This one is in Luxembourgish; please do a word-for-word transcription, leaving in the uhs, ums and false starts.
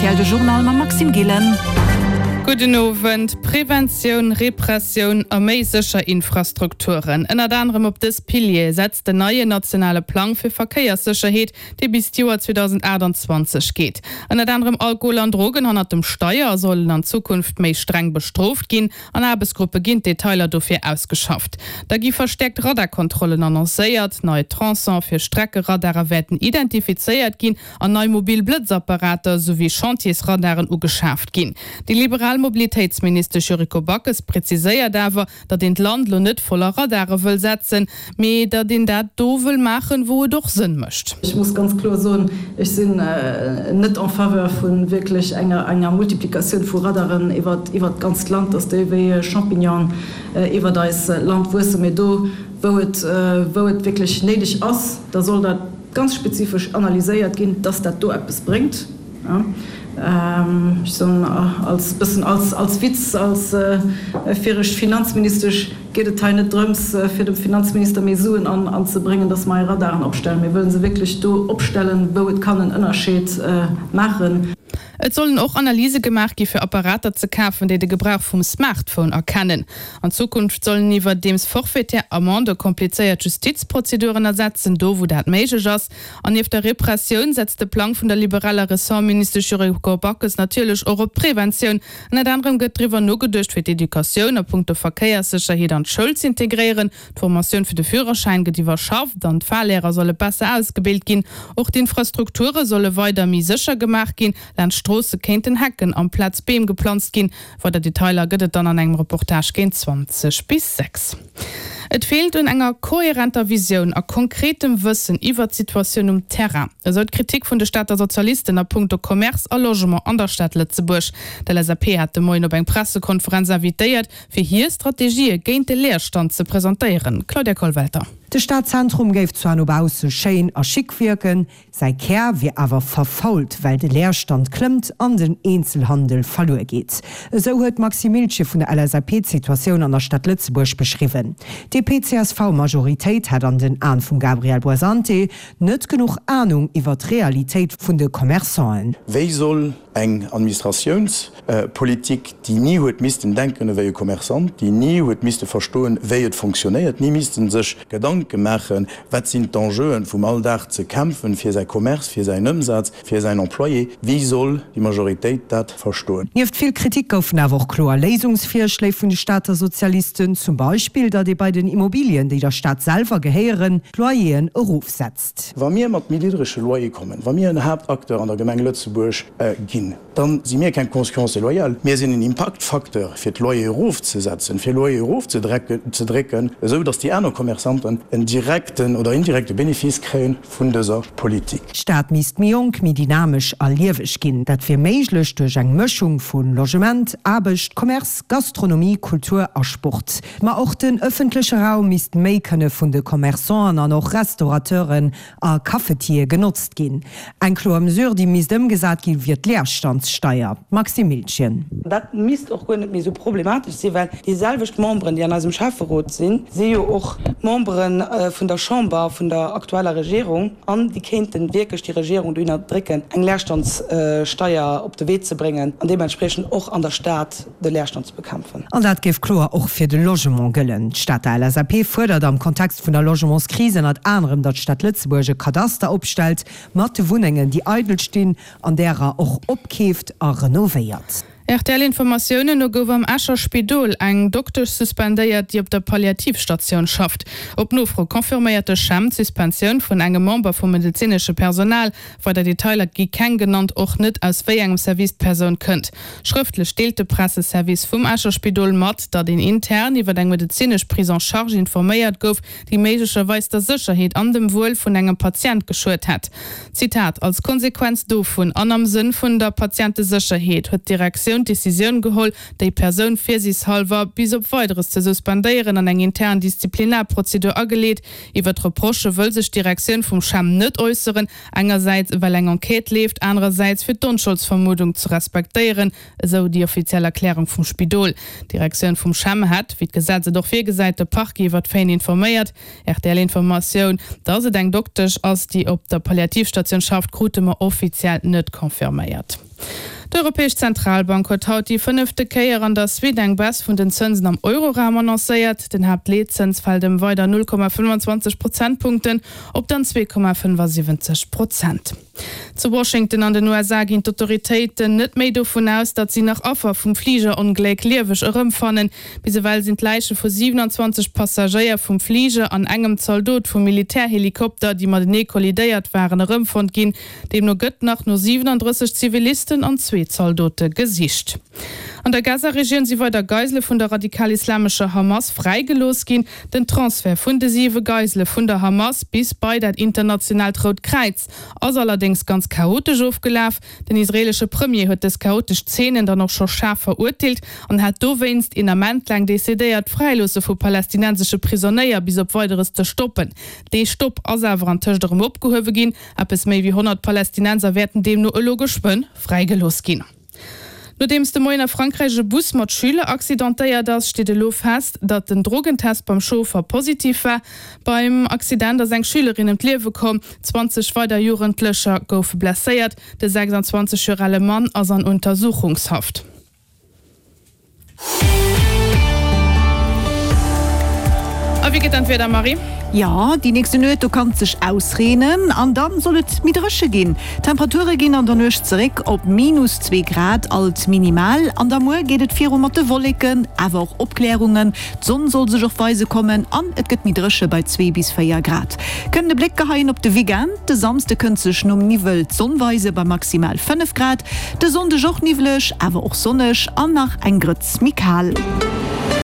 R T L de Journal mam Maxime Gillen. Gudden Owend. Preventioun, Repressioun a méi sécher Infrastrukturen. Ënnert anerem op dës Piliere setzt den neien nationale Plang fir Verkéierssécherheet, dee bis d'Joer zweedausendachtunzwanzeg geet. Ënnert anerem Alkohol an Drogen hannert dem Steier sollen an Zukunft méi streng bestrooft ginn. An Aarbechtsgruppe ginn d'Detailer dofir ausgeschafft. Da gi verstäerkt Radarkontrollen annoncéiert, nei Tronçone fir Streckeradare wäerten identifizéiert ginn an nei mobil Blëtzapparater souwéi Chantiersradaren ugeschaaft ginn. Déi liberal Mobilitéitsministesch Yuriko Backes präziséiert awer, datt een d'Land lo net voller Radare wëll setzen, mee datt een dat do wëll maachen, wou et och Sënn mécht. Ech muss ganz kloer soen, ech sinn net en faveur vu wierklech enger enger Multiplikatioun vu Radaren iwwert iwwert d'ganzt Land, datt déi wéi Champignonen iwwert eis Land wuessen. Mee do, wou et wou et wierklech néideg ass, da soll dat ganz spezifesch analyséiert ginn, datt dat do eppes bréngt. Ech soen als bëssen als als Witz, als viregt Finanzministesch geet et hei net drëms, fir dem Finanzminister méi Suen an anzebréngen, datt mer hei Radaren opstellen. Mir wëlle se wierklech do opstellen, wou et kann en Ënnerscheed maachen. Et sollen och Analyse gemaach gi fir Apparater ze kafen, déi de Gebrauch vum Smartphone erkennen. An Zukunft sollen iwwerdeems forfaitaire Amendë komplizéiert Justizprozeduren ersetzen, do wou dat méiglech ass. An nieft der Repressioun setzt de Plang vun der liberaler Ressortministesch Yuriko Backes natierlech och op Preventioun. Ënnert anerem gëtt driwwer nogeduecht, fir d'Educatioun a punkto Verkéierssécherheet an d'Schoul z'integréieren. D'Formatioun fir de Führerschäin gëtt iwwerschafft an d'Fahrlehrer solle besser ausgebilt ginn. Och d'Infrastrukture solle weider méi sécher gemaach ginn. Laanscht Stroosse kéinten Hecken amplaz Beem geplanzt ginn. Weider Detailer gëtt et dann an engem Reportage géint zwanzeg bis sechs. Et feelt un enger kohärenter Visioun a konkretem Wëssen iwwert d'Situatioun um Terrain, esou d'Kritik vun de Stater Sozialisten a punkto Commerce a Logement an der Stad Lëtzebuerg. D'L S A P hat de Moien op eng Pressekonferenz invitéiert, fir hir Strategië géint de Leerstand ze presentéieren. Claudia Kollwelter. De Stadzentrum géif zwar no bausse schéin a chic wierken, säi Kär wier awer verfault, well de Leerstand klëmmt an den Eenzelhandel verluer geet. Esou huet d'Maxime Miltgen vun der L S A P d'Situatioun an der Stad Lëtzebuerg beschriwwen. D'D P C S V-Majoritéit hätt an den Aen vum Gabriel Buonsanti net genuch Anung iwwer d'Realitéit vun de Commerçanten. Wéi soll eng Administratiounspolitik, déi ni huet missten denken ewéi e Commerçant, déi ni huet misste verstoen, wéi et fonctionnéiert, ni missten sech Gedanke maachen, wat sinn d'Enjeuen vum Alldag ze kämpfen fir säi Commerce, fir säin Ëmsaz, fir säin Employé, wéi soll déi Majoritéit dat verstoen? Nieft vill Kritik goufen awer och kloer Léisungsvirschléi vun de Stater Sozialisten, zum Beispill, datt ee bei den Immobilien, déi der Stad selwer gehéieren, d'Loyeren erofsetzt. Wa mir mat méi niddrege Loyer kommen, wa mir en Haaptacteur an der Gemeng Lëtzebuerg ginn, da si mir keng Concurrence déloyale, mir sinn en Impaktfacteur, fir d'Loyer erofzesetzen, fir Loyer erofzedrécken, esou datt déi aner Commerçanten en direkten oder indirekte Benefice kréie vun dëser Politik. D'Stad misst méi jonk, méi dynamesch a lieweg ginn. Dat wier méiglech duerch eng Mëschung vu Logement, Aarbecht, Commerce, Gastronomie, Kultur a Sport. Ma och den ëffentleche Raum misst méi kënne vun de Commerçanten an och Restaurateuren a Cafetiere genotzt ginn. Eng kloer Mesure, déi misst ëmgesat ginn, wier d'Leerstandssteier. Maxime Miltgen. Dat misst och guer net méi esou problematesch sinn, well déi selwecht Memberen, déi an eisem Schäfferot sinn, si jo och Membere vun der Chamber, vun der aktueller Regierung, an déi kéinte wierklech déi Regierung dohinner drécken, eng Leerstandssteier op de Wee ze bréngen an deementspriechend och an der Stad de Leerstand ze bekämpfen. An dat géif kloer och fir de Logement gëllen. D'Stater L S A P fuerdert am Kontext vun der Logementskris ënnert anerem, datt d'Stad Lëtzebuerg e Kadaster opstellt mat de Wunnengen, déi eidel stinn, an därer och opkeeft a renovéiert. R T L-Informatiounen no gouf am Escher Spidol eng Doktesch suspendéiert, déi op der Palliativstatioun schafft. Op Nofro confirméiert de CHEM d'Suspensioun vun engem Member vum medezinesche Personal. Weider Detailer gi keng genannt, och net aus wéi engem Service d'Persoun kënnt. Schrëftlech deelt de Presseservice vum Escher Spidol mat, datt een intern iwwer eng medezinesch Prise en charge informéiert gouf, déi méiglecherweis der Sécherheet an dem Wuel vun engem Patient geschuet hätt. Zitat, Als Konsequenz dovun an am Sënn vun der Patientesécherheet huet d'Direktioun d'Decisioun geholl, déi Persoun virsiichtshallwer bis op Weideres ze suspendéieren an eng intern Disziplinarprozedur ageleet. Iwwer d'Reprochë wëll sech d'Direktioun vum CHEM net äusseren, engersäits well eng Enquête leeft, anerersäits fir d'Onscholdsvermuddung ze respektéieren, esou déi offiziell Erklärung vum Spidol. D'Direktioun vum CHEM hätt, wéi d'Gesetz et och virgesäit, de Parquet iwwer d'Faiten informéiert. R T L-Informatioun, dass et eng Doktesch ass, déi op der Palliativstatioun schafft, krute mer offiziell net confirméiert. D'Europäesch Zentralbank huet haut déi fënnefte Kéier an der Suite eng Baisse vun den Zënsen am Euroraum annoncéiert. Den Haaptleetzëns fält ëm weider null Komma fënnwanzwanzeg Prozentpunkten op dann zwee Komma fënnfasiwwenzeg Prozent. Zu Washington an den U S A ginn d'Autoritéiten net méi dovun aus, datt si nach Affer vum Fligerongléck lieweg erëmfannen. Bis ewell sinn d'Läiche vu siwenanzwanzeg Passagéier vum Fliger an engem Zaldot vum Militärhelikopter, déi matenee kollidéiert waren, erëmfonnt ginn. Deemno gëtt nach no siwenandrësseg Zivilisten an zwee Zaldote gesicht. An der Gaza-Regioun si weider Geisele vun der radikal-islamescher Hamas fräigelooss ginn. Den Transfert vun de siwe Geisele vun der Hamas bis bei dat internationaalt Rout Kräiz ass allerdéngs ganz chaotesch ofgelaf. Den israeelesche Premier huet dës chaotesch Zeenen dann och scho schaarf verurteelt an hat dowéinst een Ament laang decidéiert, d'Fräiloosse vu palästinensesche Prisonéier bis op Weideres ze stoppen. Dee Stopp ass awer antëscht erëm opgehuewe ginn. Eppes méi wéi honnert Palästinenser wäerten deemno elo geschwënn fräigelooss ginn. Nodeems de Moien a Frankräich e Bus mat Schüler accidentéiert ass, steet elo fest, datt den Drogentest beim Chauffer positiv war. Beim Accident ass eng Schülerin ëm d'Liewe komm, zwanzeg weider Jugendlecher goufe blesséiert. De sechsandzwanzeg Joer ale Mann ass an Untersuchungshaft. A wéi geet dann d'Wieder, Marie? Jo, déi nächste Nuet, do kann et sech ausreenen an dann soll et méi dréche ginn. D'Temperature ginn an der Nuecht zeréck op minus zwee Grad als Minimal an da muer geet et viru mat de Wolleken, awer och Opklärungen. D'Sonn soll sech och weise kommen an et gëtt méi dréche bei zwee bis véier Grad. Kënnen e Bléck geheien op de Weekend, De Samsde kënnt sech nom Niwwel d'Sonn weise bei maximal fënnef Grad, de Sonndeg och niwwleg, awer och sonneg an nach eng Grëtz méi kal.